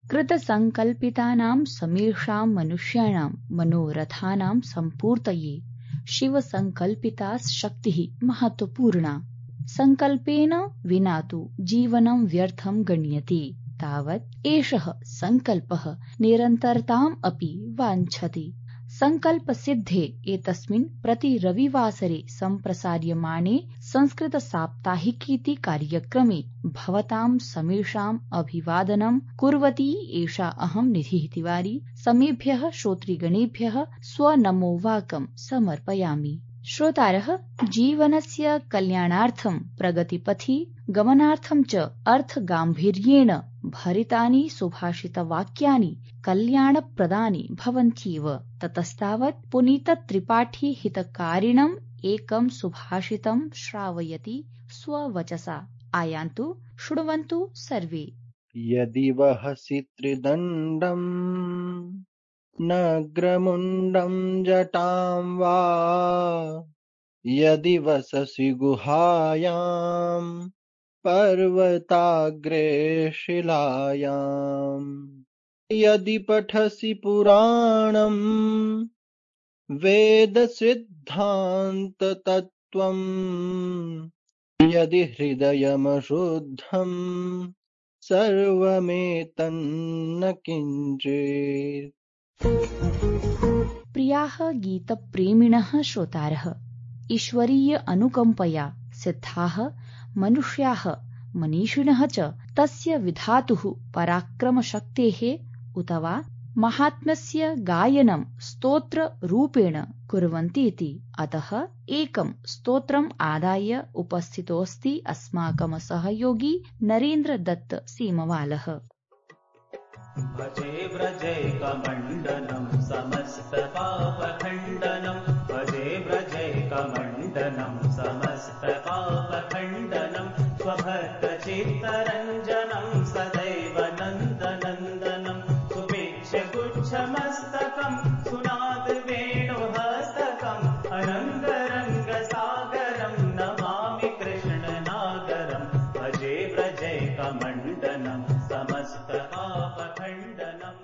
कृतसङ्कल्पितानां समेषां मनुष्याणां मनोरथानां सम्पूर्तये शिवसङ्कल्पिता शक्तिः महत्त्वपूर्णा। सङ्कल्पेन विना तु जीवनं व्यर्थं गण्यते। तावत् एषः सङ्कल्पः निरन्तरताम् अपि वाञ्छति। सङ्कल्पसिद्धे एतस्मिन् प्रति रविवासरे सम्प्रसार्यमाणे संस्कृतसाप्ताहिकीति कार्यक्रमे भवतां समेषाम् अभिवादनं कुर्वती एषा अहं निधिः तिवारी समेभ्यः श्रोतृगणेभ्यः स्वनमोवाकं समर्पयामि। श्रोतारः, जीवनस्य कल्याणार्थं प्रगतिपथि गमनार्थं च अर्थगाम्भीर्येण भरितानि सुभाषितवाक्यानि कल्याणप्रदानि भवन्त्येव। ततस्तावत् पुनीतत्रिपाठी हितकारिणम् एकं सुभाषितं श्रावयति स्ववचसा। आयान्तु, शृण्वन्तु सर्वे। यदि वहसि त्रिदण्डम् नग्रमुण्डं जटां वा, यदि वससि गुहायां पर्वताग्रे शिलायां, यदि पठसि पुराणं वेदसिद्धान्ततत्त्वं, यदि हृदयमशुद्धं सर्वमेतन्न किञ्चित्। प्रियाः गीतप्रेमिणः श्रोतारः, ईश्वरीय अनुकम्पया सिद्धाः मनुष्याः मनीषिणः च तस्य विधातुः पराक्रमशक्तेः उत वा महात्म्यस्य गायनं स्तोत्ररूपेण कुर्वन्तीति। अतः एकं स्तोत्रम् आदाय उपस्थितोऽस्ति अस्माकं सहयोगी नरेन्द्र दत्त सीमवालः। भजे व्रजैकमण्डनं समस्तपापखण्डनं, भजे व्रजैकमण्डनं समस्तपापखण्डनं, स्वभक्तचित्तरञ्जनं सदैव नन्दनन्दनं, सुभिक्षगुच्छमस्तकं सुनादवेणुहस्तकं, अनङ्गरङ्गसागरं नमामि कृष्णनागरं, भजे व्रजैकमण्डनं समस्तपापखण्डनं।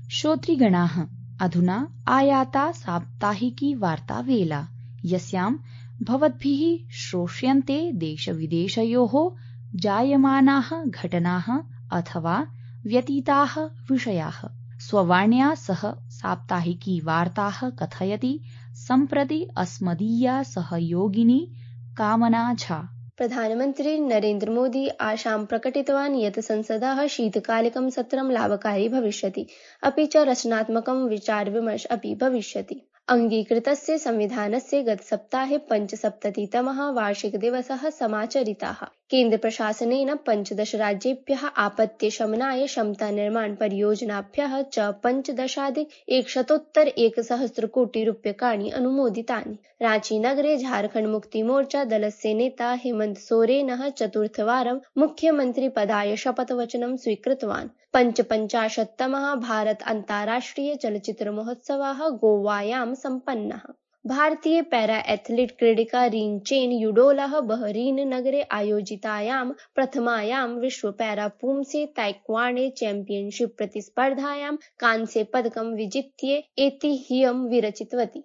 श्रोतृगणाः, अधुना आयाता साप्ताहिकी वार्तावेला, यस्यां भवद्भिः श्रोष्यन्ते देशविदेशयोः जायमानाः घटनाः अथवा व्यतीताः विषयाः। स्ववाण्या सह साप्ताहिकी वार्ताः कथयति सम्प्रति अस्मदीया सहयोगिनी कामना झा। प्रधानमन्त्री नरेन्द्र मोदी आशां प्रकटितवान् यत् संसदः शीतकालिकं सत्रं लाभकारी भविष्यति, अपि च रचनात्मकं विचारविमर्श अपि भविष्यति। अङ्गीकृतस्य संविधानस्य गतसप्ताहे 75तमः वार्षिकदिवसः समाचरितः। केन्द्रप्रशासनेन 15 राज्येभ्यः आपत्तिशमनाय क्षमतानिर्माणपरियोजनाभ्यः च 15,100 कोटिरूप्यकाणि अनुमोदितानि। रांचीनगरे झारखण्डमुक्तिमोर्चा दलस्य नेता हेमन्त सोरेनः चतुर्थवारं मुख्यमन्त्रिपदाय शपथवचनं स्वीकृतवान्। 55तमः भारत अन्ताराष्ट्रिय चलच्चित्रमहोत्सवः गोवायां सम्पन्नः। भारतीय पैरा एथलीट क्रीडिका रीन चेन युडोलः बहरीन नगरे आयोजितायां प्रथमायां विश्व पैरा पुंसे ताइक्वांडो चैंपियनशिप प्रतिस्पर्धायां कांस्य पदकं विजित्य ऐतिह्यं विरचितवती।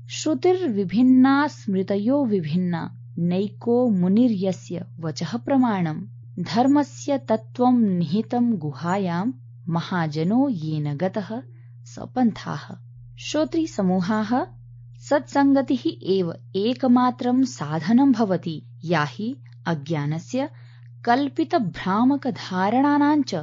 श्रुतिर्विभिन्ना स्मृतयो विभिन्ना, नैको मुनिर्यस्य वचः प्रमाणम्। धर्मस्य तत्त्वं निहितं गुहायां, महाजनो येन गतः सपन्थाः। श्रोतृसमूहाः, सत्सङ्गतिः एव एकमात्रं साधनं भवति, या हि अज्ञानस्य कल्पितभ्रामकधारणानां च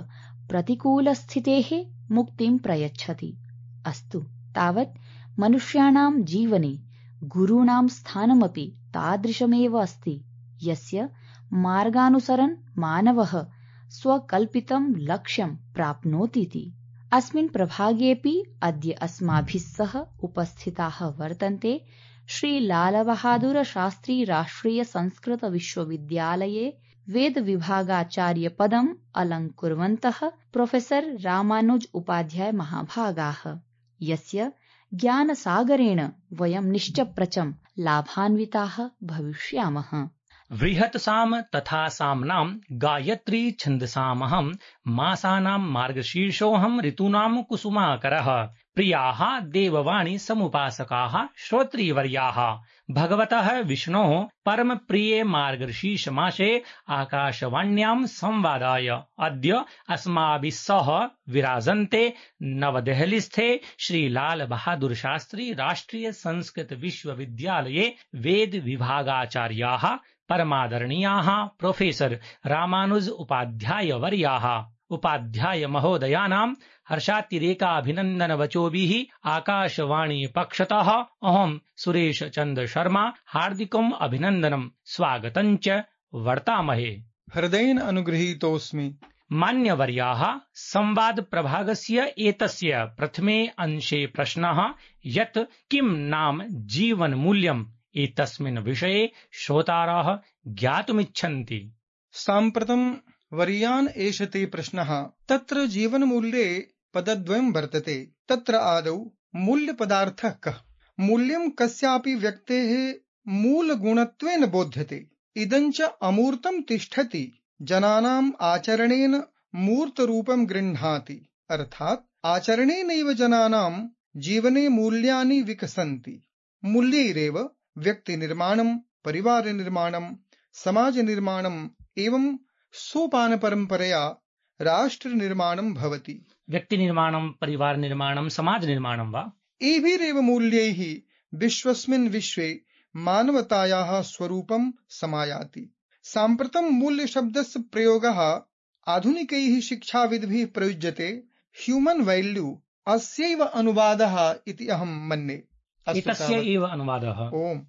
प्रतिकूलस्थितेः मुक्तिं प्रयच्छति। अस्तु, तावत् मनुष्याणां जीवने गुरूणां स्थानमपि तादृशमेव अस्ति, यस्य मार्गानुसरन् मानवः स्वकल्पितं लक्ष्यं प्राप्नोतीति। अस्मिन् प्रभागेऽपि अद्य अस्माभिः सह उपस्थिताः वर्तन्ते श्री लालबहादुर शास्त्री राष्ट्रिय संस्कृत विश्वविद्यालये वेदविभागाचार्यपदम् अलङ्कुर्वन्तः प्रोफेसर रामानुज उपाध्याय महाभागाः, यस्य ज्ञानसागरेण वयं निश्चप्रचं लाभान्विताः भविष्यामः। बृहत्साम तथा साम्नां गायत्री छन्दसामहं मासानां मार्गशीर्षोऽहं ऋतूनां कुसुमाकरः। प्रियाः देववाणी समुपासकाः श्रोत्रीवर्याः, भगवतः विष्णोः परमप्रिये मार्गशीर्षमासे आकाशवाण्यां संवादाय अद्य अस्माभिः सह विराजन्ते नवदेहलीस्थे श्री लाल बहादुर शास्त्री राष्ट्रिय संस्कृत विश्वविद्यालये वेद विभागाचार्याः परमादरणीयाः प्रोफेसर रामानुज उपाध्यायवर्याः। उपाध्याय महोदयानां हर्षातिरेकाभिनन्दनवचोभिः आकाशवाणी पक्षतः अहं सुरेश चन्द्र शर्मा हार्दिकम् अभिनन्दनं स्वागतं च वर्तामहे। हृदयेन अनुगृहीतोऽस्मि। मान्यवर्याः, संवाद प्रभागस्य एतस्य प्रथमे अंशे प्रश्नः यत् किं नाम जीवनमूल्यम् एतस्मिन् विषये श्रोतारः ज्ञातुमिच्छन्ति। साम्प्रतं वर्यान् एषते प्रश्नः। तत्र जीवनमूल्ये पदद्वयं वर्तते। तत्र आदौ मूल्यपदार्थः कः। मूल्यं कस्यापि व्यक्तेः मूलगुणत्वेन बोध्यते। इदञ्च अमूर्तं तिष्ठति, जनानाम् आचरणेन मूर्तरूपं गृह्णाति। अर्थात् आचरणेनैव जनानां जीवने मूल्यानि विकसन्ति। मूल्यैरेव व्यक्तिनिर्माणं, परिवारनिर्माणं, समाजनिर्माणम् एवं सोपानपरम्परया राष्ट्रनिर्माणं भवति। व्यक्तिनिर्माणं, परिवारनिर्माणं, समाजनिर्माणं वा? एभिरेव मूल्यैः विश्वस्मिन् विश्वे मानवतायाः स्वरूपं समायाति। साम्प्रतं मूल्यशब्दस्य प्रयोगः आधुनिकैः शिक्षाविद्भिः प्रयुज्यते। ह्यूमन् वैल्यू अस्यैव अनुवादः इति अहं मन्ये। एतस्य एव अनुवादः। ओम्।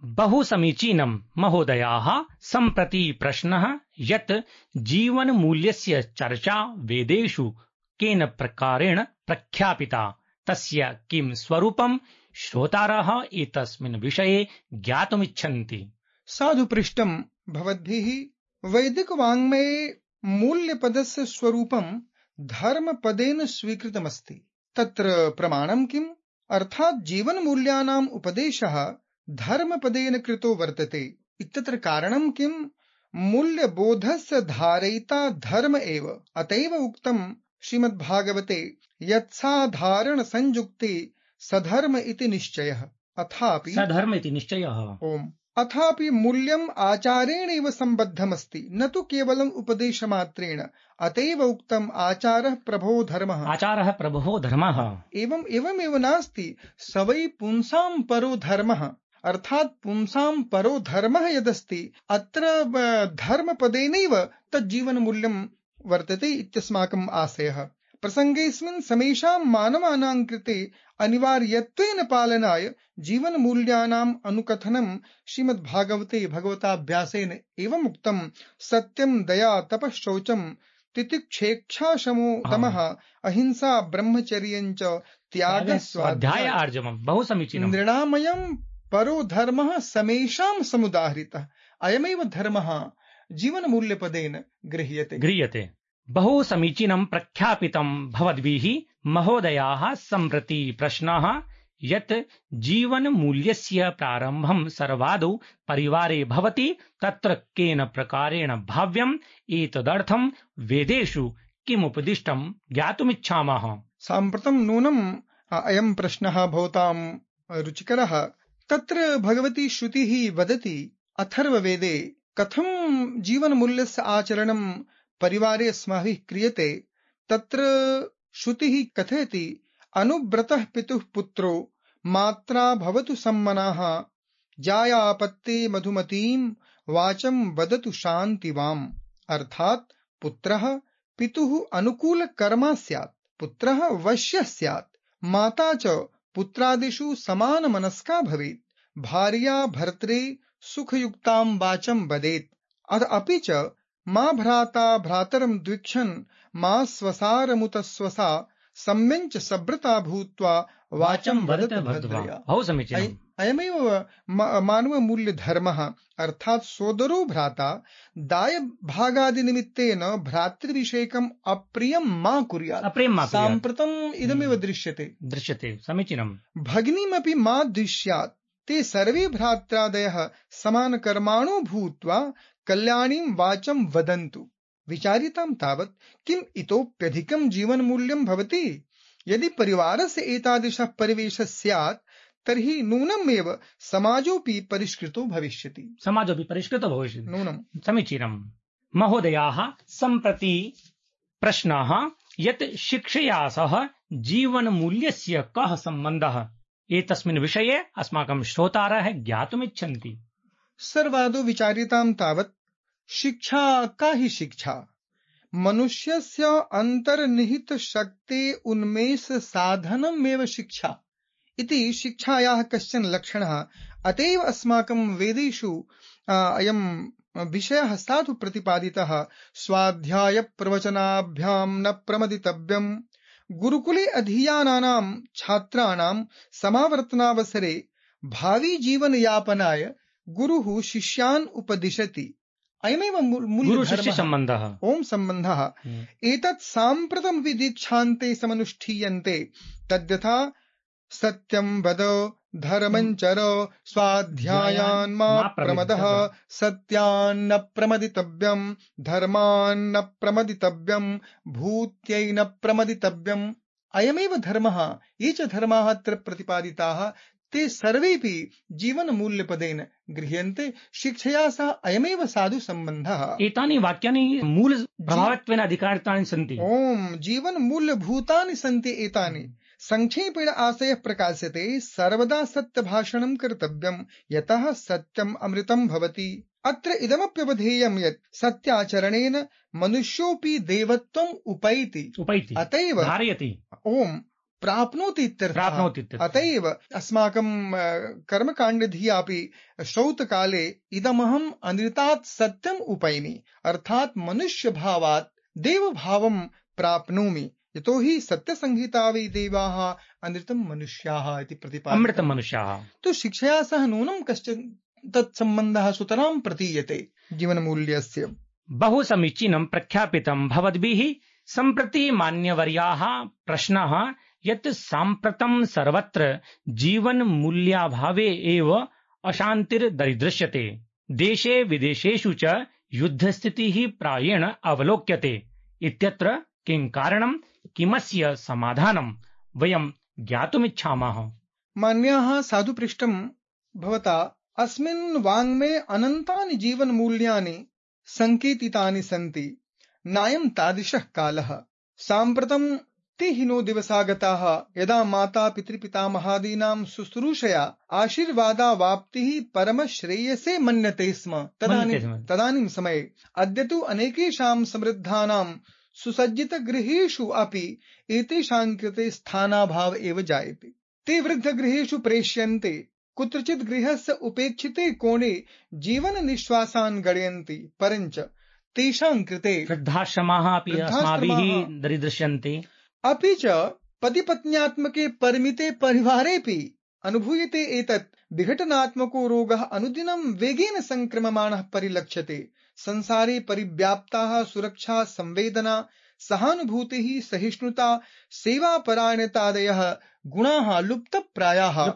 बहु समीचीनं महोदयाः। सम्प्रति प्रश्नः यत् जीवनमूल्यस्य चर्चा वेदेषु केन प्रकारेण प्रख्यापिता, तस्य किं स्वरूपं श्रोतारः एतस्मिन् विषये ज्ञातुमिच्छन्ति। साधु पृष्टं भवद्भिः। वैदिकवाङ्मये मूल्यपदस्य स्वरूपं धर्मपदेन स्वीकृतमस्ति। तत्र प्रमाणं किम्? अर्थात् जीवनमूल्यानाम् उपदेशः धर्मपदेन कृतो वर्तते। इत्यत्र कारणं किम्? मूल्यबोधस्य धारयिता धर्म एव। अतएव उक्तं श्रीमद्भागवते यत्साधारण संयुक्ते सधर्म इति निश्चयः। अथापि सधर्म इति निश्चयः। ओम्। अथापि मूल्यम् आचारेणैव सम्बद्धमस्ति, न तु केवलम् उपदेशमात्रेण। अतएव उक्तम् आचारः प्रभो धर्मः। आचारः प्रभो धर्मः। एवमेव नास्ति, स वै पुंसां परो धर्मः। अर्थात् पुंसां परो धर्मः यदस्ति, अत्र धर्मपदेनैव तज्जीवनमूल्यं वर्तते इत्यस्माकम् आशयः। प्रसङ्गेऽस्मिन् समेषां मानवानां कृते अनिवार्यत्वेन पालनाय जीवनमूल्यानाम् अनुकथनं श्रीमद्भागवते भगवताभ्यासेन एवम् उक्तं। सत्यं, दया, तपः, शौचं, तितिक्षेक्षा, शमो, दमः, अहिंसा, ब्रह्मचर्यं च त्यागः, स्वाध्याय आर्जवम्। बहु समीचीनं। नृणामयं परो धर्मः समेषां समुदाहृतः। अयमेव धर्मः जीवनमूल्यपदेन गृह्यते। बहु समीचीनं प्रख्यापितं भवद्भिः महोदयाः। सम्प्रति प्रश्नः यत् जीवनमूल्यस्य प्रारम्भं सर्वादौ परिवारे भवति, तत्र केन प्रकारेण भाव्यम्, एतदर्थं वेदेषु किमुपदिष्टं ज्ञातुमिच्छामः। साम्प्रतं नूनम् अयं प्रश्नः भवतां रुचिकरः। तत्र भगवती श्रुतिः वदति अथर्ववेदे कथं जीवनमूल्यस्य आचरणं परिवारे अस्माभिः क्रियते। तत्र श्रुतिः कथयति अनुव्रतः पितुः पुत्रो मात्रा भवतु सम्मनाः, जायापत्ते मधुमतीं वाचं वदतु शान्तिवाम्। अर्थात् पुत्रः पितुः अनुकूलकर्मा स्यात्, पुत्रः वश्यः स्यात्, माता च पुत्रादिषु समानमनस्का भवेत्, भार्या भर्त्रे सुखयुक्तां वाचं वदेत्। अपि च मा भ्राता भ्रातरं द्विक्षन्, मा स्वसारमुत स्वसा सम्यञ्च सभ्रता भूत्वा वाचं वदत भद्वा। भद्रया। बहु समीचीनम्। अयमेव मानवमूल्यधर्मः, अर्थात् सोदरो भ्राता दायभागादिनिमित्तेन भ्रातृविषयकम् अप्रियं मा कुर्यात्। अप्रियं मा कुर्यात्। साम्प्रतम् इदमेव दृश्यते। समीचीनम्। भगिनीमपि मा दृश्यात्, ते सर्वे भ्रात्रादयः समानकर्माणो भूत्वा कल्याणीं वाचं वदन्तु। विचारितां तावत् किम् इतोप्यधिकं जीवनमूल्यं भवति। यदि परिवारस्य एतादृशः परिवेशः स्यात् तर्हि नूनमेव समाजोऽपि परिष्कृतो भविष्यति। नूनम्। समीचीनम्। महोदयाः, सम्प्रति प्रश्नः यत् शिक्षया सह जीवनमूल्यस्य कः सम्बन्धः, एतस्मिन् विषये अस्माकं श्रोतारः ज्ञातुमिच्छन्ति। सर्वादौ विचार्यतां तावत् शिक्षा का हि शिक्षा। मनुष्यस्य अन्तर्निहितशक्ते उन्मेष साधनमेव शिक्षा इति शिक्षायाः कश्चन लक्षणः। अत एव अस्माकं वेदेषु अयं विषयः साधु प्रतिपादितः। स्वाध्याय प्रवचनाभ्यां न प्रमदितव्यम्। गुरुकुले अधीयानानां छात्राणां समावर्तनावसरे भावी जीवनयापनाय गुरुः शिष्यान् उपदिशति। अयमेव मूलधर्मः। ओम सम्बन्धः। एतत् साम्प्रतं विदीक्षान्ते समनुष्ठीयन्ते। तद्यथा सत्यं वद, धर्मं चर, स्वाध्यायान् मा प्रमदः, सत्यान्न प्रमदितव्यं, धर्मान्न प्रमदितव्यं, भूत्यै न प्रमदितव्यम्। अयमेव धर्मः। ये च धर्माः अत्र प्रतिपादिताः ते सर्वेपि जीवनमूल्यपदेन गृह्यन्ते। शिक्षया सह अयमेव साधु सम्बन्धः। एतानि वाक्यानि मूल प्रभावत्वेन अधिकारितानि सन्ति। ओम जीवनमूल्यभूतानि सन्ति एतानि। संक्षेपेण आशयः प्रकाश्यते। सर्वदा सत्यभाषणं कर्तव्यं, यतः सत्यम् अमृतं भवति। अत्र इदमप्यवधेयं यत् सत्याचरणेन मनुष्योऽपि देवत्वम् उपैति। अतएव धारयति। ओम प्राप्नोति इत्यर्थः। अतएव अस्माकं कर्मकाण्डधियापि श्रौतकाले इदमहम् अनृतात् सत्यम् उपैमि, अर्थात् मनुष्यभावात् देवभावं प्राप्नोमि। यतोहि सत्यसंहिता वै देवाः अनृतं मनुष्याः इति प्रतिपादितम्। अमृतं मनुष्याः। तो शिक्षया सह नूनं कश्चन तत्सम्बन्धः सुतरां प्रतीयते जीवनमूल्यस्य। बहु समीचीनं प्रख्यापितं भवद्भिः। सम्प्रति मान्यवर्याः प्रश्नः यत् साम्प्रतं सर्वत्र जीवनमूल्याभावे एव अशान्तिर्दरीदृश्यते। देशे विदेशेषु च युद्धस्थितिः प्रायेण अवलोक्यते। इत्यत्र किं कारणं, किमस्य समाधानं, वयं ज्ञातुमिच्छामः। मान्याः साधु पृष्टं भवता। अस्मिन् वाङ्मये अनन्तानि जीवनमूल्यानि सङ्केतितानि सन्ति। नायं तादृशः कालः। साम्प्रतं ते हिनो दिवसागताः यदा माता पितृपितामहादीनां शुश्रूषया आशीर्वादावाप्तिः परमश्रेयसे मन्यते स्म। तदानीं समये अद्य तु अनेकेषां समृद्धानां सुसज्जितगृहेषु अपि एतेषां कृते स्थानाभाव एव जायते। ते वृद्धगृहेषु प्रेष्यन्ते। कुत्रचित् गृहस्य उपेक्षिते कोणे जीवननिश्वासान् गणयन्ति। परञ्च तेषां कृते वृद्धाश्रमाः अपि अस्माभिः दरीदृश्यन्ते। अपि च पतिपत्न्यात्मके परिमिते परिवारेऽपि अनुभूयते एतत् विघटनात्मको रोगः अनुदिनं वेगेन संक्रममाणः परिलक्ष्यते। संसारे परिव्याप्ताः सुरक्षा, संवेदना, सहानुभूतिः, सहिष्णुता, सेवापरायणतादयः गुणाः लुप्तप्रायाः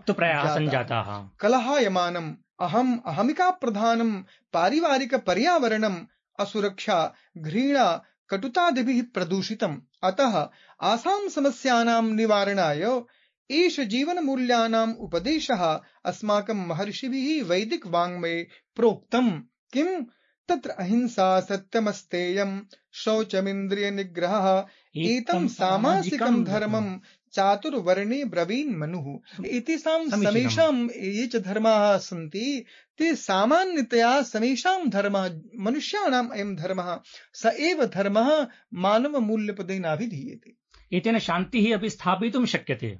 सञ्जाताः। कलहायमानम् अहमिका प्रधानं पारिवारिक पर्यावरणम् असुरक्षा, घृणा, कटुतादिभिः प्रदूषितम्। अतः आसां समस्यानां निवारणाय एष जीवनमूल्यानाम् उपदेशः अस्माकं महर्षिभिः वैदिक वाङ्मये प्रोक्तम्। किम् तत्र अहिंसा, सत्यमस्तेयम्, शौचमिन्द्रियनिग्रहः, एतं सामासिकं धर्मं चातुर्वर्णे ब्रवीन् मनुः। एतेषां समेषां ये च धर्माः सन्ति ते सामान्यतया समेषां धर्मः, मनुष्याणाम् अयं धर्मः स एव धर्मः मानवमूल्यपदेनाभिधीयते। एतेन शान्तिः अपि स्थापयितुं शक्यते।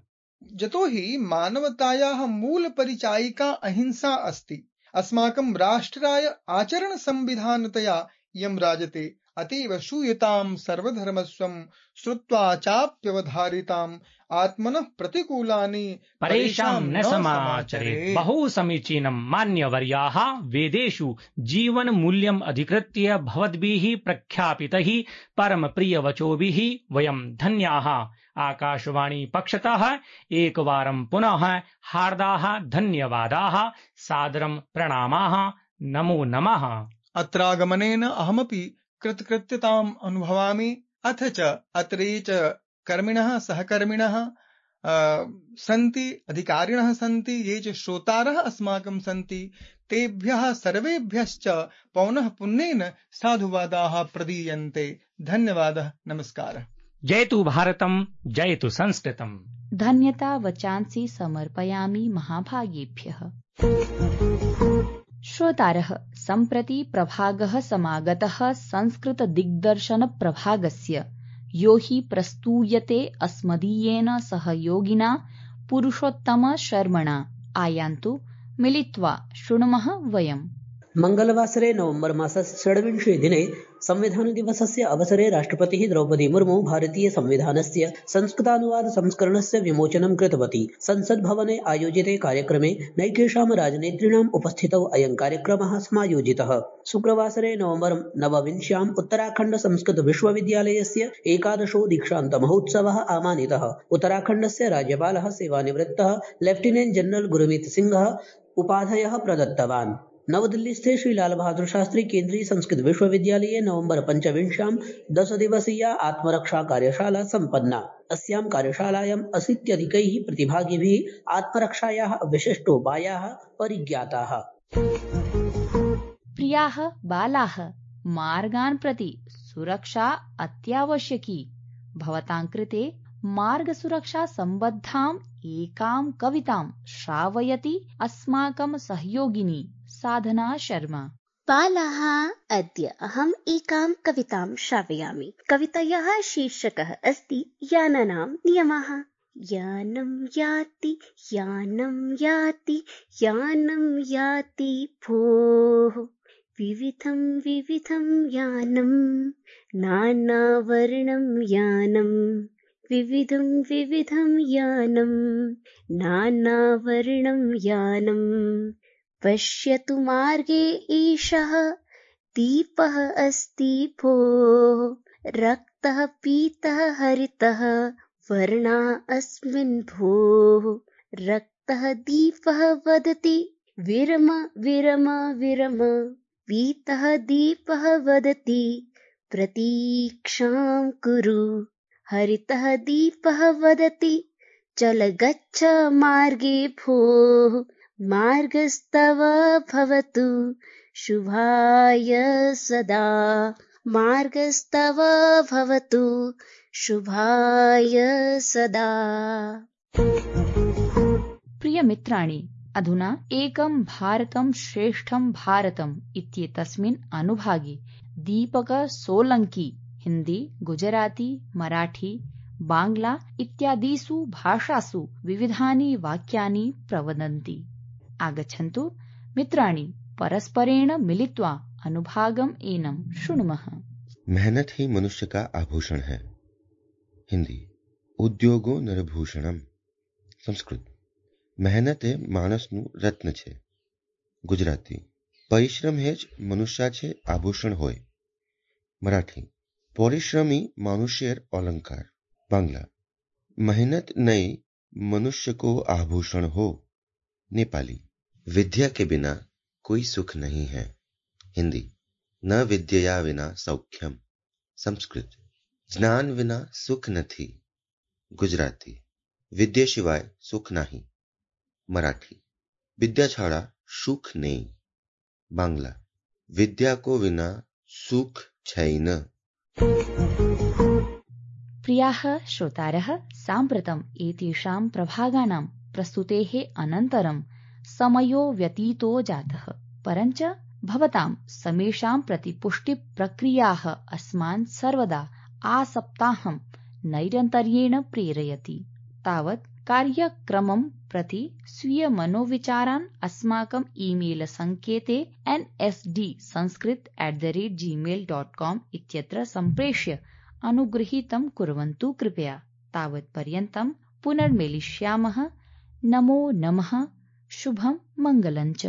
यतोहि मानवतायाः मूलपरिचायिका अहिंसा अस्ति। अस्माकं राष्ट्राय आचरणसंविधानतया इयं राजते। अतीव श्रूयतां सर्वधर्मस्वं श्रुत्वा चाप्यवधारिताम् आत्मनः प्रतिकूलानि परेषां न समाचरेत्। बहु समीचीनं मान्यवर्याः, वेदेषु जीवनमूल्यम् अधिकृत्य भवद्भिः प्रख्यापितैः परमप्रियवचोभिः वयं धन्याः। आकाशवाणी पक्षतः एकवारं पुनः हार्दाः धन्यवादाः, सादरं प्रणामाः, नमो नमः। अत्रागमनेन अहमपि कृतकृत्यताम् अनुभवामि। अथ च अत्रे च कर्मिणः सहकर्मिणः सन्ति, अधिकारिणः सन्ति, ये च श्रोतारः अस्माकं सन्ति, तेभ्यः सर्वेभ्यश्च पौनः पुन्येन साधुवादाः प्रदीयन्ते। धन्यवादः, नमस्कारः। जयतु भारतं, जयतु संस्कृतम्। धन्यता वचांसि समर्पयामि महाभागेभ्यः। श्रोतारः, सम्प्रति प्रभागः समागतः संस्कृत दिग्दर्शन प्रभागस्य, यो हि प्रस्तूयते अस्मदीयेन सहयोगिना पुरुषोत्तम शर्मणा। आयान्तु मिलित्वा शृणुमः वयम्। मंगलवासरे नवंबर मासस्य 26 दिने संविधान दिवसस्य अवसरे राष्ट्रपतिः द्रौपदी मुर्मु भारतीय संविधानस्य संस्कृतानुवाद संस्करणस्य विमोचनं कृतवती। संसद भवने आयोजिते कार्यक्रमे नैकेषां राजनेतॄणाम् उपस्थितौ अयं कार्यक्रमः समायोजितः। शुक्रवासरे नवंबर 29 उत्तराखण्ड संस्कृत विश्वविद्यालयस्य 11 दीक्षान्त महोत्सवः आमानितः। उत्तराखण्डस्य राज्यपालः सेवानिवृत्तः लेफ्टिनेंट जनरल गुरमीत सिंहः उपाधयः प्रदत्तवान्। नवदिल्लीस्थे श्री लाल बहादुर शास्त्री केन्द्रीय संस्कृत विश्वविद्यालये नवंबर 25 10 दिवसीया आत्मरक्षा कार्यशाला सम्पन्ना। अस्यां कार्यशालायां 80 प्रतिभागिभिः आत्मरक्षायाः विशिष्टोपायाः परिज्ञाताः। प्रियाः बालाः, मार्गान् प्रति सुरक्षा अत्यावश्यकी। भवतां कृते मार्गसुरक्षा सम्बद्धाम् एकां कवितां श्रावयति अस्माकं सहयोगिनी साधना शर्मा। बालाः, अद्य अहम् एकां कवितां श्रावयामि। कवितायाः शीर्षकः अस्ति यानानां नियमः। यानं याति यानं याति यानं याति भोः, विविधं विविधं यानं, नानावर्णं यानं, विविधं विविधं यानं, नानावर्णं यानं। पश्यतु मार्गे एषः दीपः अस्ति भोः, रक्तः पीतः हरितः वर्णः अस्मिन् भोः। रक्तः दीपः वदति विरम विरम विरम, पीतः दीपः वदति प्रतीक्षां कुरु। हरितः दीपः वदति चल गच्छ मार्गे भोः, मार्गस्तव भवतु शुभाय सदा। मार्गस्तव भवतु शुभाय सदा। प्रिय मित्राणि, अधुना एकं भारतं श्रेष्ठं भारतम् इत्येतस्मिन् अनुभागे दीपक सोलंकी हिंदी, गुजराती, मराठी, बांग्ला इत्यादिषु भाषासु विविधानि वाक्यानि प्रवदन्ति। आगच्छन्तु मित्राणि, परस्परेण मिलित्वा अनुभागम् एनं शृणुमः। मेहनत ही मनुष्य का आभूषण है। हिंदी, उद्योगो नरभूषणम। संस्कृत, મહેનત એ માણસનું રત્ન છે. ગુજરાતી, પરિશ્રમ એ જ મનુષ્ય છે આભૂષણ હોય. મરાઠી, પરિશ્રમી મનુષ્યર अलंकार. बांग्ला, मेहनत नहीं मनुष्य को आभूषण हो. नेपाली, विद्या के बिना कोई सुख नहीं है. हिंदी, न विद्यया विना सौख्यम. संस्कृत, ज्ञान विना सुख નથી. गुजराती, विद्या सिवाय सुख नहीं. मराठी, विद्या छाड़ा सुख नहीं. बांग्ला, विद्या को बिना सुख छैन. प्रियाः श्रोतारः, साम्प्रतम् एतेषां प्रभागानां प्रस्तुतेः अनन्तरं समयो व्यतीतो जातः, परञ्च भवतां समेषां प्रतिपुष्टिप्रक्रियाः अस्मान् सर्वदा आसप्ताहं नैरन्तर्येण प्रेरयति। तावत् कार्यक्रमं प्रति स्वीयमनोविचारान् अस्माकं ईमेल सङ्केते nsdsanskrit@gmail.com इत्यत्र सम्प्रेष्य अनुगृहीतं कुर्वन्तु कृपया। तावत्पर्यन्तं पुनर्मिलिष्यामः। नमो नमः। शुभं मङ्गलञ्च।